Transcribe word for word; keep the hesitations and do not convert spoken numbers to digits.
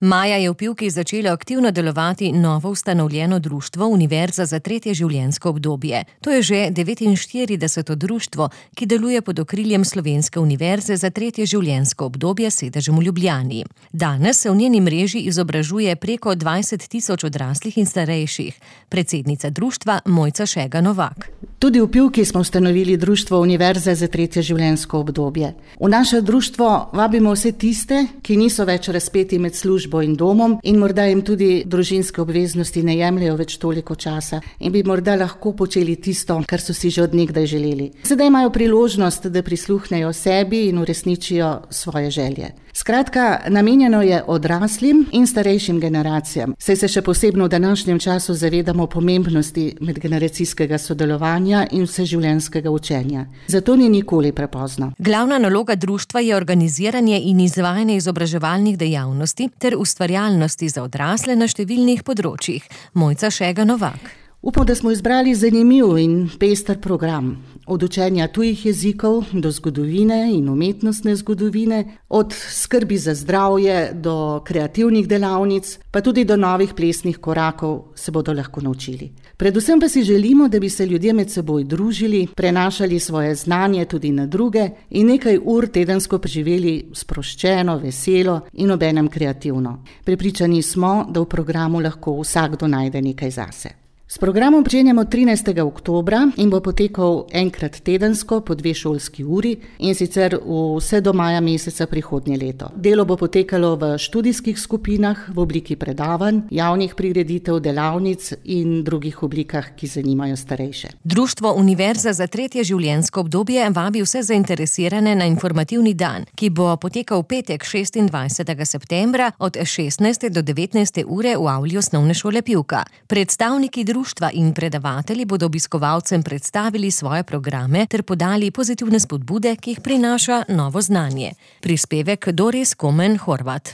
Maja je v Pivki začelo aktivno delovati novo ustanovljeno društvo Univerza za tretje življenjsko obdobje. To je že devetinštirideseto društvo, ki deluje pod okriljem Slovenske univerze za tretje življenjsko obdobje s sedežem v Ljubljani. Danes se v njeni mreži izobražuje preko dvajset tisoč odraslih in starejših. Predsednica društva Mojca Šega Novak. Tudi v Pivki smo ustanovili društvo Univerze za tretje življenjsko obdobje. V naše društvo vabimo vse tiste, ki niso več razpeti med službo in domom in morda jim tudi družinske obveznosti ne jemljejo več toliko časa in bi morda lahko počeli tisto, kar so si že od nekdaj želeli. Sedaj imajo priložnost, da prisluhnejo sebi in uresničijo svoje želje. Skratka, namenjeno je odraslim in starejšim generacijam, saj se še posebno v današnjem času zavedamo pomembnosti medgeneracijskega sodelovanja in vseživljenjskega učenja. Zato ni nikoli prepozno. Glavna naloga društva je organiziranje in izvajanje izobraževalnih dejavnosti ter ustvarjalnosti za odrasle na številnih področjih. Mojca Šega Novak. Upam, da smo izbrali zanimiv in pester program. Od učenja tujih jezikov do zgodovine in umetnostne zgodovine, od skrbi za zdravje do kreativnih delavnic, pa tudi do novih plesnih korakov se bodo lahko naučili. Predvsem pa si želimo, da bi se ljudje med seboj družili, prenašali svoje znanje tudi na druge in nekaj ur tedensko preživeli sproščeno, veselo in obenem kreativno. Prepričani smo, da v programu lahko vsakdo najde nekaj zase. S programom pričenjamo trinajstega oktobra in bo potekal enkrat tedensko po dve šolski uri in sicer vse do maja meseca prihodnje leto. Delo bo potekalo v študijskih skupinah, v obliki predavanj, javnih prireditev, delavnic in drugih oblikah, ki zanimajo starejše. Društvo Univerza za tretje življenjsko obdobje vabi vse zainteresirane na informativni dan, ki bo potekal v petek šestindvajsetega septembra od šestnajste do devetnajste ure v avli Osnovne šole Pivka. Predstavniki društva in predavatelji bodo obiskovalcem predstavili svoje programe ter podali pozitivne spodbude, ki jih prinaša novo znanje. Prispevek Doris Komen Horvat.